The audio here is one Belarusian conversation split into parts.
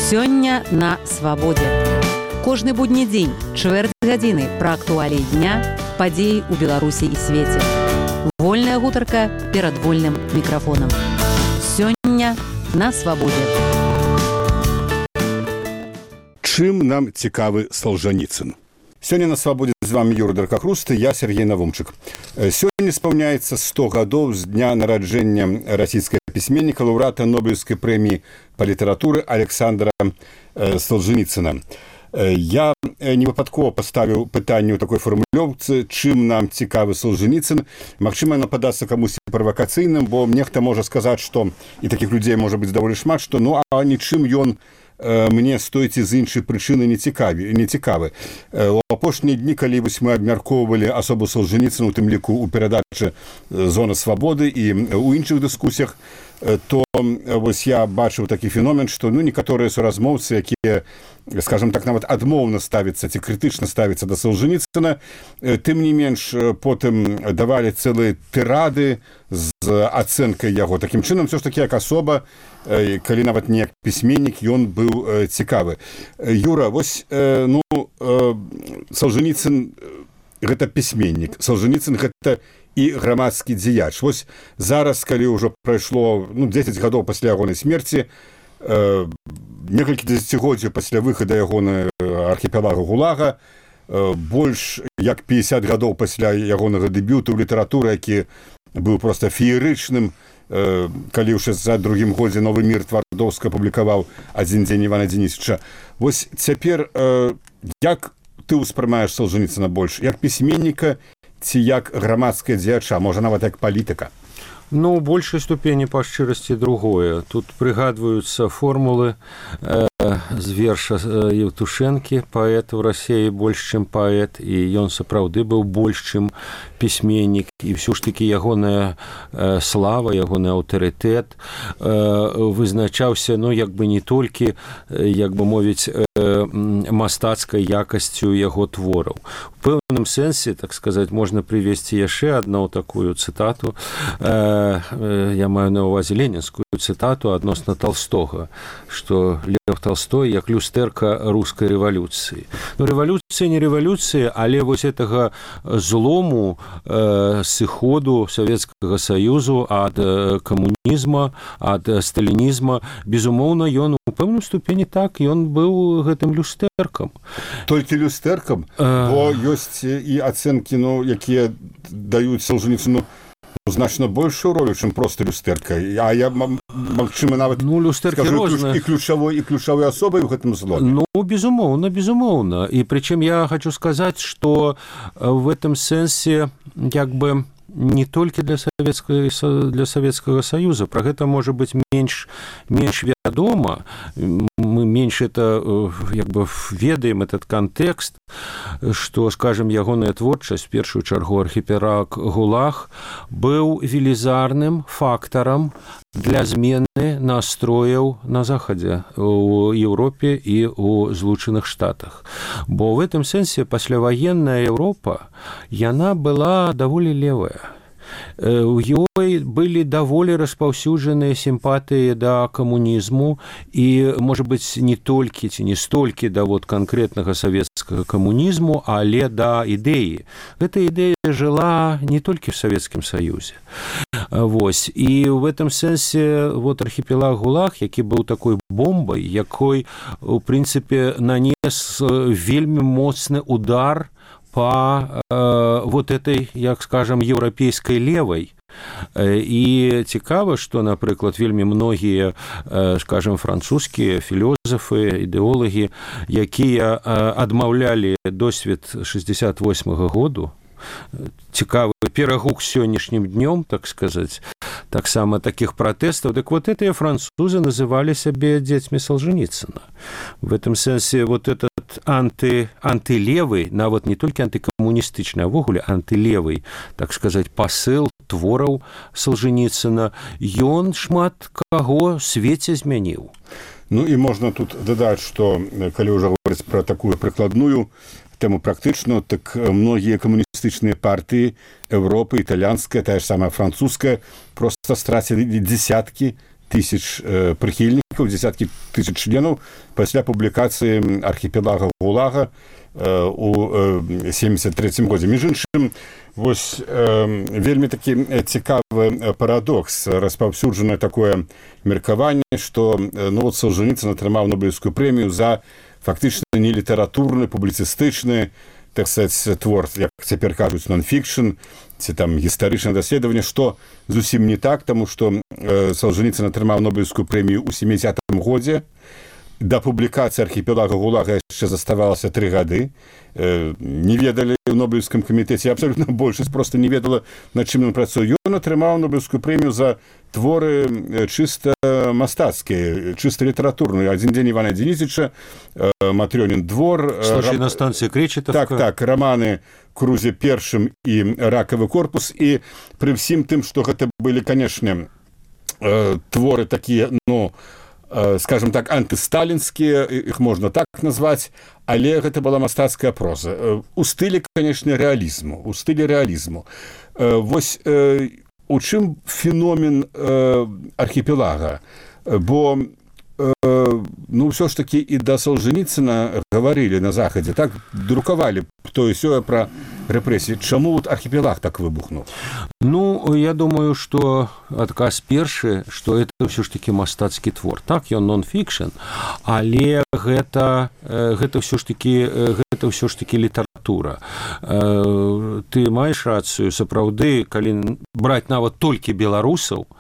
Сёння на свабодзе. Кожны будні дзень, чвэрць гадзіны пра актуаліі дня, падзеі ў Беларусі і свеце. Вольная гутарка перад вольным мікрафонам. Сёння на свабодзе. Чым нам цікавы Солженіцын? Сёння на свабодзе з вами Юрий Даркахруст і я Сергей Навумчык. Сёння спаўняецца 100 гадоў з дня нараджэння расійскага пісьменніка, лаўрэата Нобелеўскай прэміі па літаратуры Александра Солженіцына. Я не выпадкова паставіў пытанне ў такой фармулёўцы, чым нам цікавы Солженіцын. Магчыма, яно падасца камусьці правакацыйным, бо нехта можа сказаць, што, і такіх людзей можа быць даволі шмат, што ну а нічым ён мне стойце з іншай прычыны не цікавы. У апошнія дні, калі мы абмяркоўвалі асобу Солженіцына, у тым ліку ў перадачы «Зона свабоды» і ў іншых дыскусіях, то вось я бачыў такі феномен, што некаторыя суразмоўцы, якія, скажем так, нават адмоўна ставяцца ці крытычна ставяцца да Солженіцына, тым не менш потым давалі цэлыя тырады з ацэнкай яго. Такім чынам, все ж такі, як асоба, калі нават не як пісьменнік, ён быў цікавы. Юра, вось, Солженіцын гэта пісьменнік, Солженіцын гэта і грамадскі дзеяч. Вось зараз, калі ўжо прайшло 10 гадоў пасля ягонай смерці, некалькі дзесяцігоддзяў пасля выхада ягонай архіпелага ГУЛАГа, больш як 50 гадоў пасля ягонага дэбюту ў літаратуры, які быў проста феерычным, калі ў 62-м годзе «Новы мір» Твардоўскі апублікаваў «Адзін дзень Івана Дзенісіча». Вось цяпер, як ты ўспрымаеш Солженіцына больш? Як пісьменніка ці як грамадская дзеяча, можа нават як палітыка? У большай ступені па шчырасці другое. Тут прыгадваюцца формулы з верша Евтушэнкі, паэт у Расіі больш, чым паэт, і ён сапраўды быў больш, чым пісьменнік, і ўсё ж такі ягоная слава, ягоны аўтарытэт вызначаўся, як бы не толькі, як бы мовіць, мастацкай якасцю яго твораў. У пэўным сэнсе, так сказаць, можна прывесці яшчэ адну такую цытату, я маю на ўвазе ленінскую цытату адносна Толстога, што Лев Толстой як люстэрка рускай рэвалюцыі. Рэвалюцыя не рэвалюцыя, але вось гэтага злому, сыходу Савецкага Саюзу ад камунізма, ад сталінізма, безумоўна, ён у пэўным ступені так, ён быў гэтым люстэркам. Толькі люстэркам? Бо ёсць і ацэнкі, якія даюць Солженіцыну значна большую ролю, чым проста люстэрка. А я, магчыма, нават скажу, і ключавой асобай у гэтым зломе. Безумоўна. І прычым я хочу сказаць, што в этом сэнсе, як бы, не толькі для Савецкага Саюза. Пра гэта можа быць менш вядома. Мы менш это, як бы, ведаем этот контекст, што, скажем, ягоная творчасць, в першую чаргу архіпелаг ГУЛАГ, быў велізарным фактарам для змены настрояў на Захадзе, у Еўропе і ў Злучаных Штатах. Бо в этом сэнсе пасляваенная Еўропа, яна была даволі левая. У ёй былі даволі распаўсюджаныя сімпатыі да камунізму і, можа быць, не толькі ці не столькі да канкрэтнага савецкага камунізму, але да ідэі. Гэта ідэя жыла не толькі в Савецкім Саюзе. Вось. І в этом сэнсе архіпелаг ГУЛАГ, які быў такой бомбай, якой, у прынцыпе, нанес вельмі моцны удар по этой, як скажем, еўрапейскай левай. І цікава, што, напрыклад, вельмі многія, скажем, французскія філёзафы, ідэолагі, якія адмаўлялі досвед 68-го году, цікавы перагук сённяшнім днём, так сказаць, таксама такіх пратэстаў, дык гэтыя французы называлі сябе дзецьмі Солженіцына. В этом сэнсе этот антылевый, нават не толькі антыкамуністычны, а ввогуле антылевый, так сказаць, пасыл твораў Солженіцына, ён шмат каго ў свеце змяніў. І можна тут дадаць, што калі ўжо говорыць пра такую прыкладную тэму практычную, так многія камуністычныя партыі Европы, італьянская, тая ж самая французская, проста страцілі дзесяткі тысяч прыхільнікаў, дзесяткі тысяч членаў пасля публікацыі архіпелага ГУЛАГа у 73 годзе. Між іншым, вось вельмі такі цікавы парадокс. Распаўсюджанае такое меркаванне, што Солженіцын атрымаў Нобелевскую прэмію за фактычна не літаратурны, публіцыстычны, так сказать, твор, як цяпер кажуць, нон-фікшн, ці там гістарычнае даследаванне, што зусім не так, таму што Солженіцын атрымаў Нобелевскую прэмію ў 70-м годзе. Да публікацыі архіпелага ГУЛАГа яшчэ заставалася 3 гады. Не ведалі ў Нобелевскім камітэце, абсалютна большасць проста не ведала, над чым ён працуе. Ён атрымаў Нобелевскую прэмію за творы чыста мастацкія, чыста літаратурныя. «Адзін дзень Івана Дзенісіча», «Матрёнін двор». «Случай на станцыі Кречетовка». Так, раманы «Крузе першым» і «Ракавы корпус». І пры ўсім тым, што гэта былі, канешне, творы такія, скажем так, антысталінскія, іх можна так назваць, але гэта была мастацкая проза. У стылі, канешне, рэалізму. Вось у чым феномен архіпелага? Бо ўсё ж такі і да Солженіцына гаварылі на Захадзе, так, друкавалі тое-сёе пра рэпрэсіі. Чаму архіпелаг так выбухнуў? Я думаю, што адказ першы, што это ўсё ж такі мастацкі твор. Так, ён нон-фікшн, але гэта ўсё ж такі літаратура. Ты маеш рацыю, сапраўды, калі браць нават толькі беларусаў,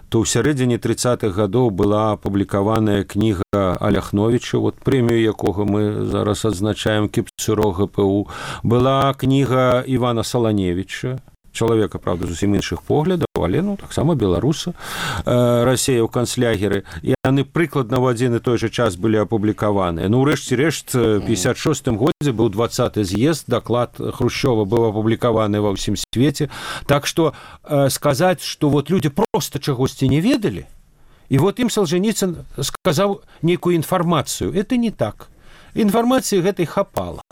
то ў сярэдзіне 30-х гадоў была апублікаваная кніга Аляхновіча, прэмію якога мы зараз адзначаем, кіпцюро ГПУ. Была кніга Івана Саланевіча, чалавека, правда, зусім іншых поглядаў, але таксама беларуса, Расея ў канцлягеры. Яны прыкладна ў адзін і той жа час былі апублікаваныя. Ўрэшце рэшт, у 56-м годзе быў 20-й з'езд, даклад Хрушчова быў апублікаваны ва ўсім свеце. Так што сказаць, што людзі проста чагосьці не ведалі, і ім Солженіцын сказаў нейкую інфармацыю. Это не так. Інфармацыі гэтай хапала.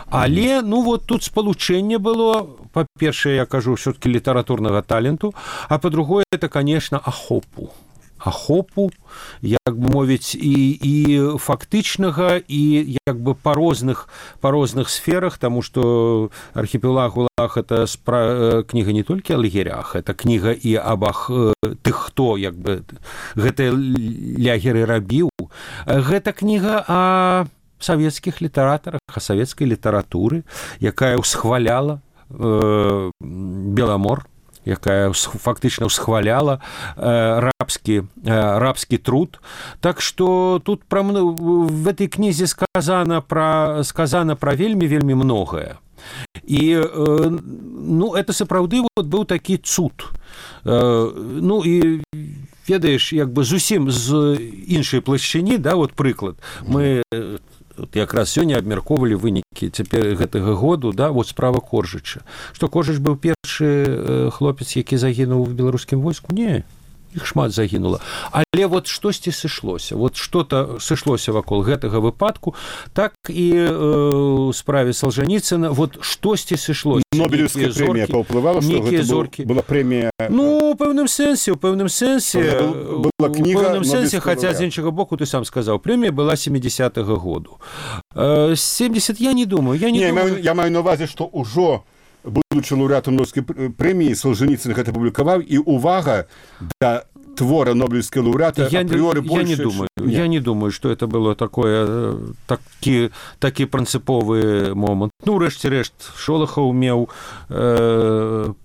Але, тут спалучэнне было, па-першае, я кажу, ўсё-такі літаратурнага таленту, а па-другое, это, конечно, ахопу, як бы мовіць, і фактычнага, і як бы па розных сферах, таму што архіпелаг ГУЛАГ — это кніга не толькі о лагерях, это кніга і аб тых, хто як бы гэтыя лягеры рабіў. Гэта кніга о савецкіх літаратарах, о савецкай літаратуры, якая ўсхваляла Беламор, якая фактычна ўсхваляла рабскі труд. Так што тут в этой кнізе сказана пра вельмі многае. І это сапраўды быў такі цуд. І ведаеш, як бы зусім з іншай плашчыні, прыклад. Мы якраз сёння абмяркоўвалі вынікі цяпер гэтага году, справа Коржыча. Што Коржыч быў першы хлопец, які загінуў у беларускім войску? Не, іх шмат загінула. Але штосьці сышлося. Што-то сышлося вакол гэтага выпадку, так і ў справе Солженіцына штосьці сышлося. Нобелевская прэмія паўплывала, што гэта была прэмія? У пэўным сэнсе. Была кніга Нобелевская. Хаця з іншага боку, ты сам сказаў, прэмія была 70-го году. 70 я не думаю. Я маю на увазе, што ўжо будучы лаўрэатам Нобелевскай прэміі, Солженіцын гэта публікаваў, і увага да твора Нобелевскай лаўрэата апрыоры больше. Я не думаю, что это было такі прынцыповы момант. Рэшце рэшт, Шолахаў меў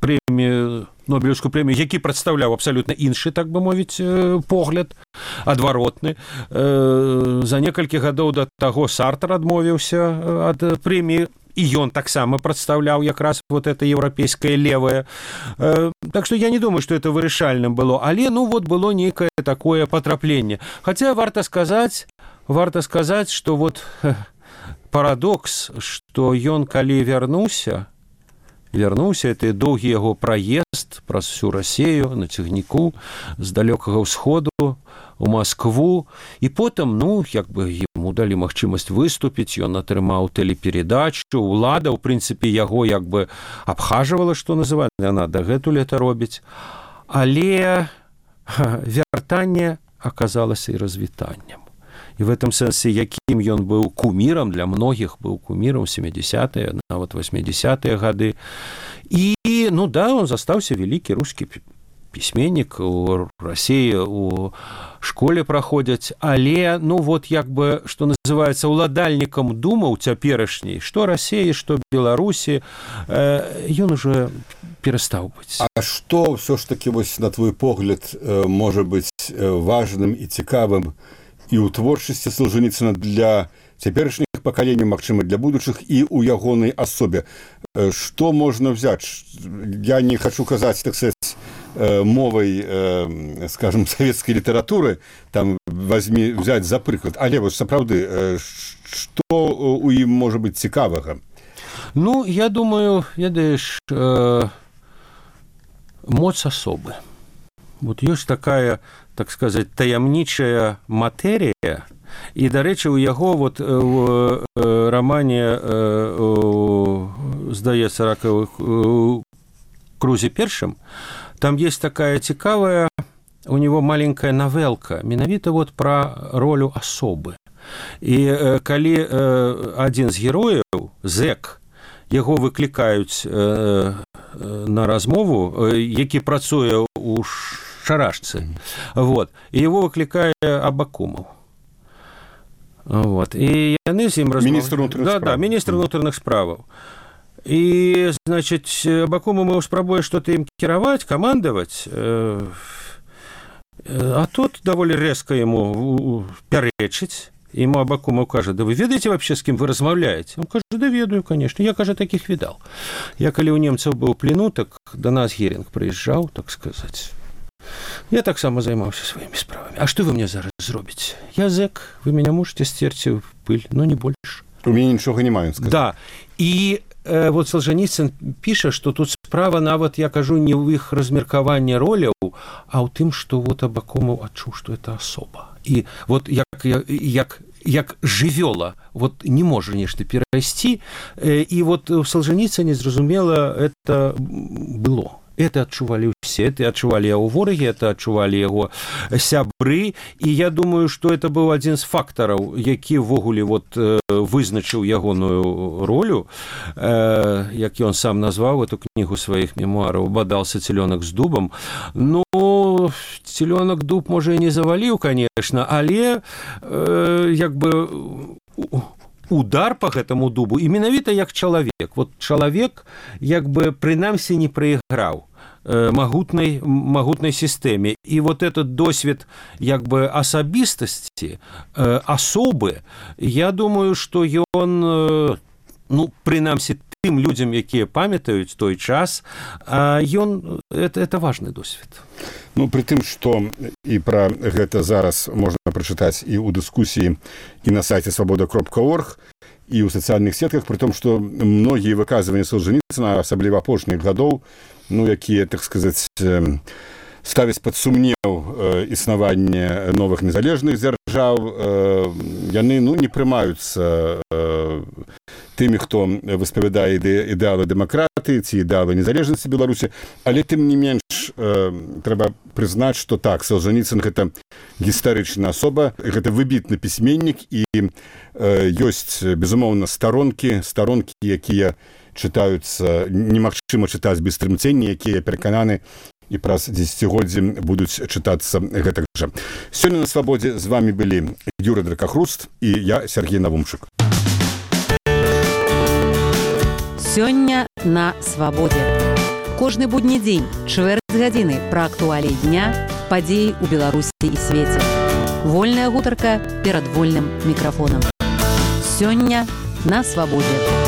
прэмію, Нобелевскую прэмію, які прадстаўляў абсалютна іншы, так бы мовіць, погляд, адваротны. За некалькі гадоў да таго Сартр адмовіўся ад прэміі, і ён таксама прадстаўляў якраз это еўрапейскае левае. Так што я не думаю, што это вырашальным было, але было нейкае такое патрапленне. Хаця варта сказаць, што парадокс, што ён калі вярнуўся, это доўгі яго праезд праз всю Расею на цягніку з далёкага ўсходу у Маскву, і потым, як бы яму далі магчымасць выступіць, ён атрымаў тэлеперадачу, улада, ў прынцыпе, яго як бы абхажвала, што называецца, яна дагэтуль это робіць. Але вяртанне аказалася і развітаннем. І в этом сэнсе, якім ён быў кумірам, для многіх быў кумірам 70-е, нават 80-е гады. І, ну да, он застаўся вялікі рускі пісьменнік, у Расіі у школе праходзяць, але, ну вот, як бы, што называецца, уладальнікам думаў цяперашняй, што Расіі, што Беларусі, ён уже перастаў быць. А што ўсё ж такі, вось, на твой погляд, можа быць важным і цікавым і ў творчасці Солженіцына для цяперашніх пакаленняў, магчыма, для будучых, і ў ягонай асобе? Што можна взяць? Я не хочу казаць, так сказать, мовай, скажем, савецкай літаратуры, там, взять за прыклад. Але вось сапраўды, што у ім можа быць цікавага? Ну, я думаю, ведаеш, моц асобы. Вот ёсць такая, так сказать, таямнічая матэрія, і, дарэчы, у яго вот в рамане, здаецца, «Ракавых крузе першым», там есть такая цікавая, у него маленькая навелка, менавіта вот про ролю асобы. І калі адзін з герояў, зэк, яго выклікаюць на размову, які працуе у шарашцы, вот, і яго выклікае Абакумов. Вот, і яны з ім размовляюць. Міністр унутраных справаў. Да, міністр унутраных справаў. І, значыць, Абакумов спрабуе што-то ім кіраваць, камандаваць, а тут даволі рэзка яму пярэчыць. Ему Абакумов кажа: да вы ведаеце вообще, с кем вы размаўляеце? Он кажа: да ведаю, конечно, я, кажа, таких видал. Я, калі у немцаў быў в плену, так до нас Геринг прыязджаў, так сказать. Я таксама займаўся сваімі справамі. А што вы мне зараз зробіце? Я зэк, вы меня можете стерці в пыль, но не больше. У мяне нічога не маю сказаць. Да, і вот Солженіцын піша, што тут справа нават, я кажу, не ў іх размеркаванні роляў, а ў тым, што вот Абакумов адчуў, што это асоба. І вот як жывёла, вот не можа нешта перайсці, і вот у Солженіцыне, зразумела, это было. Это адчувалі ўсе, это адчувалі яго ворагі, это адчувалі яго сябры, і я думаю, што это быў адзін з фактараў, які ўвогуле вот вызначыў ягоную ролю, як ён сам назваў эту кнігу сваіх мемуараў, «Бадался цілёнак з дубам». Ну, цілёнак дуб, можа, і не заваліў, конечно, але як бы удар по гэтаму дубу, і менавіта як чалавек. Вот чалавек, як бы, прынамсі не прайграў магутнай сістэме. І вот этот досвед, як бы, асабістасці, асобы, я думаю, што ён, ну, прынамсі тым людзям, якія памятаюць той час, ён, это важны досвед. Ну, при тым, што і пра гэта зараз можна прачытаць і ў дыскусіі, і на сайце свабода.орг, і ў сацыяльных сетках, при том, што многія выказванні Солженіцына, асабліва апошніх гадоў, ну, якія, так сказаць, ставяць пад сумнеў існаванне новых незалежных дзяржаў, яны, ну, не прымаюцца тымі, хто выспавядае ідэалы дэмакратыі ці ідэалы незалежнасці Беларусі, але тым не менш трэба прызнаць, што так, Солженіцын гэта гістарычная асоба, гэта выбітны пісьменнік, і ёсць, безумоўна, старонкі, якія чытаюцца, немагчыма чытаць без трымцення, якія перакананы і праз дзесяцігоддзі будуць чытацца гэтак жа. Сёння на Свабодзе з вами былі Юрый Дракахруст і я, Сергей Навумчык. Сёння на Свабодзе. Кожны будні дзень, чвэрць гадзіны пра актуаліі дня, падзеі ў Беларусі і свеце. Вольная гутарка перад вольным мікрафонам. Сёння на Свабодзе.